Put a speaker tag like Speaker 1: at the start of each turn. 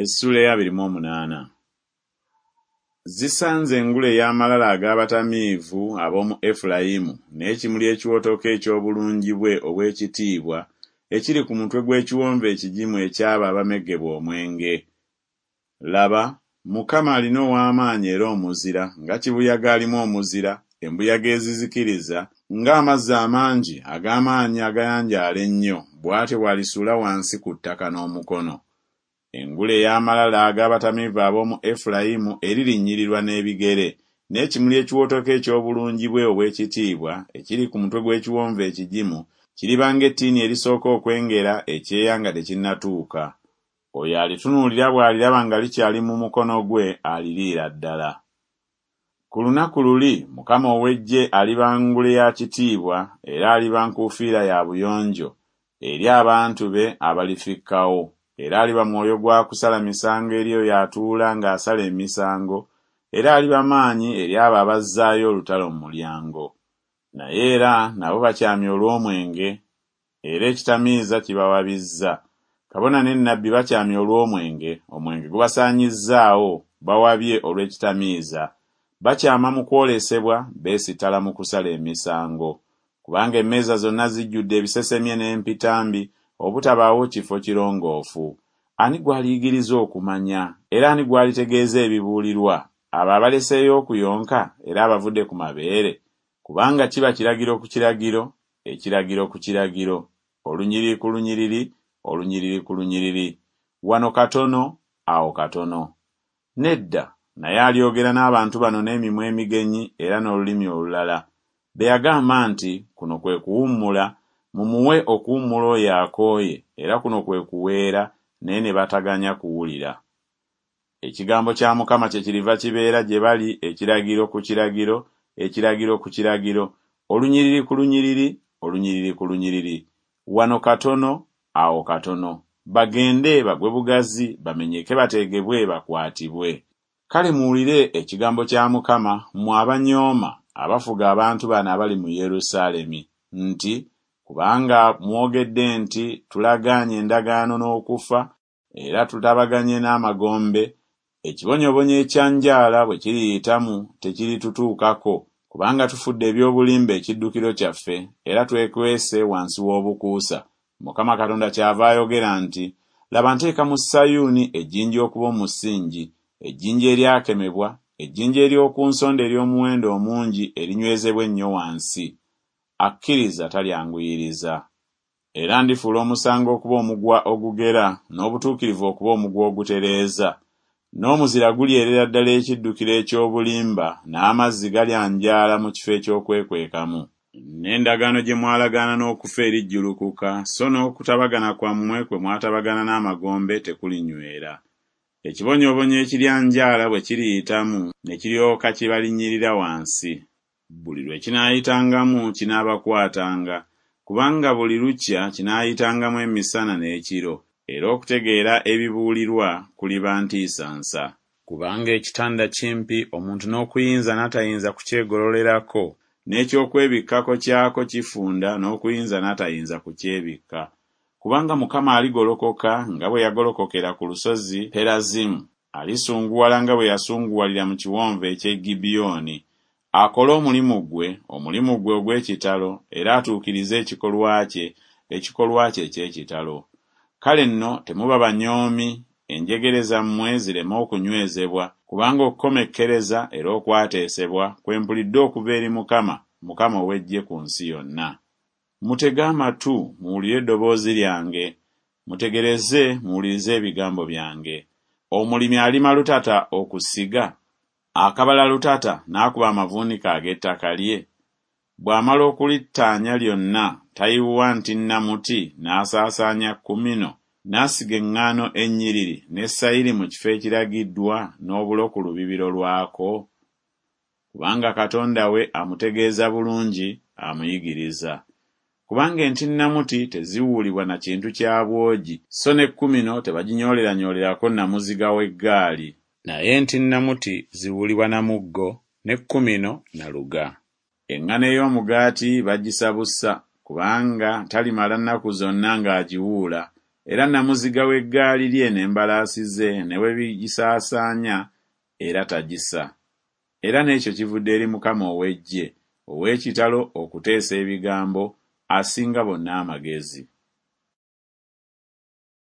Speaker 1: Essuula ey'abiri mu omunaana. Zisanze engule ey'amalala ag'abatamiivu ab'omu Efulayimu, n'ekimuli ekiwotoka eky'obulungi bwe obw'ekitiibwa ekiri ku mutwe gw'ekiwonvu ekigimu eky'abo abameggebwa omwenge! Laba, Mukama alina ow'amaanyi era omuzira, nga kibuyaga alimu omuzira, embuyaga ezizikiriza, ng'amazzi amangi ag'amaanyi agayanjaala ennyo, bw'atyo bw'alisuula wansi ku ttaka n'omukono. Engule ey'amalala ag'abatamiivu ab'omu Efulayimu eririnnyirirwa n'ebigere, n'ekimuli ekiwotoka eky'obulungi bwe obw'ekitiibwa ekiri ku mutwe gw'ekiwonvu ekigimu kiriba ng'ettiini erisooka okwengera ekyeya nga tekinnatuuka. Oyo alitunuulira bw'aliraba nga likyali mu mukono gwe aliriira ddala. Ku lunaku luli Mukama ow'eggye aliba ngule ya kitiibwa era aliba nkuufiira ya buyonjo eri abantu be abalifikkawo, era aliba mwoyo gwa kusala misango eri oyo atuula ng'asala emisango, era aliba maanyi eri abo abazzaayo olutalo mu mulyango. Naye era nabo bakyamye olw'omwenge, era ekitamiiza kibawabizza. Kabona ne nnabbi bakyamye olw'omwenge, omwenge gubasaanyizzaawo, bawabye olw'ekitamiiza. Bakyama mu kwolesebwa, beesittala mu kusala emisango. Kubanga emmeeza zonna zijjudde ebisesemye n'empitambi, obutabaawo kifo kirongoofu. Ani gw'aliyigiriza okumanya? Era ani gw'alitegeeza ebibuulirwa? Abo abaleseeyo okuyonka era abavudde ku mabeere? Kubanga kiba kiragiro ku kiragiro, ekiragiro ku kiragiro, olunyiriri ku lunyiriri, olunyiriri ku lunyiriri, wano katono, awo katono. Nedda, naye alyogera n'abantu bano n'emimwa emigenyi era n'olulimi olulala, be yagamba nti, Kuno kwe kuwummula, mumuwe okuwummula oyo akooye, era kuno kwe kuweera, naye ne bataganya kuwulira. Ekigambo kya Mukama kyekiriva kibeera gye bali ekiragiro ku kiragiro, ekiragiro ku kiragiro, olunyiriri ku lunyiriri, olunyiriri ku lunyiriri, wano katono, awo katono, bagende bagwe bugazi, bamenyeke bateegebwe bakwatibwe. Kale muwulire ekigambo kya Mukama, mmwe abanyooma, abafuga abantu bano abali mu Yerusaalemi, nti Kubanga mwogedde nti Tulagaanye endagaano n'okufa, era tutabaganye n'amagombe, ekibonyoobonyo ekyanjaala bwe kiriyitamu tekiritutuukako, kubanga tufudde eby'obulimba ekiddukiro kyaffe, era twekwese wansi w'obukuusa. Mukama Katonda kyava ayogera nti Laba nteeka mu Sayuuni ejjinja okuba omusingi, ejjinja eryakemebwa, ejjinja ery'oku nsonda ery'omuwendo omungi erinywezebwa ennyo wansi. Akkiriza talyanguyiriza. Era ndifuula omusango okuba omugwa ogugera, n'obutuukirivu okuba omugwa ogutereeza. N'omuzira gulyerera ddala ekiddukiro eky'obulimba, n'amazzi galyanjaala mu kifo eky'okwekwekamu. N'endagaano gye mwalagaana n'okufa erijjulukuka, so n'okutabagana kwammwe kwe mwatabagana n'amagombe tekulinywera. Ekibonyoobonyo ekiryanjaala bwe kiriyitamu ne kiryoka kibalinnyirira wansi. Buli lwe kinaayitangamu kinaabakwatanga, kubanga buli lukya kinaayitangamu emisana n'ekiro, era okutegeera ebibuulirwa kuliba ntiisa nsa. Kubanga ekitanda kimpi omuntu n'okuyinza n'atayinza kukyegololerako, n'eky'okwebikkako kyako kifunda n'okuyinza n'atayinza kukyebikka. Kubanga Mukama aligolokoka nga bwe yagolokokera ku lusozi Perazimu, alisunguwala nga bwe yasunguwalira mu kiwonvu eky'e Gibyoni, akole omulimu gwe, omulimu gwe ogw'ekitalo, era atuukirize ekikolwa kye, ekikolwa kye eky'ekitalo. Kale nno temuba banyoomi, enjegere zammwe zireme okunywezebwa, kubanga okukomekkereza era okwateesebwa kwe mpulidde okuva eri Mukama, Mukama ow'eggye ku nsi yonna. Mutege amatu muwulire eddoboozi lyange, mutegereze muwulirize ebigambo byange. Omulimi alima lutata okusiga? Akabala lutata n'akuba amavuunike ag'ettaka lye? Bw'amala okulittaanya lyonna tayiwa ntinnamuti n'asaasaanya kumino, n'asiga eŋŋaano ennyiriri ne sayiri mu kifo ekiragiddwa n'obulo ku lubibiro lwako? Kubanga Katonda we amutegeeza bulungi, amuyigiriza. Kubanga entinnamuti teziwuulibwa na kintu kya bwogi, so ne kumino tebaginyooleraanyoolerako namuziga w'eggaali. Naye entinnamuti ziwuulibwa na muggo, ne kumino na luga. Eŋŋano ey'omugaati bagisa busa, kubanga talimala nnaku zonna ng'agiwuula, Era nnamuziga w'eggaali lye n'embalaasi ze ne bwe bigisaasaanya, era tagisa. Era n'ekyo kivudde eri Mukama ow'eggye, ow'ekitalo okuteesa ebigambo, asinga bonna amagezi.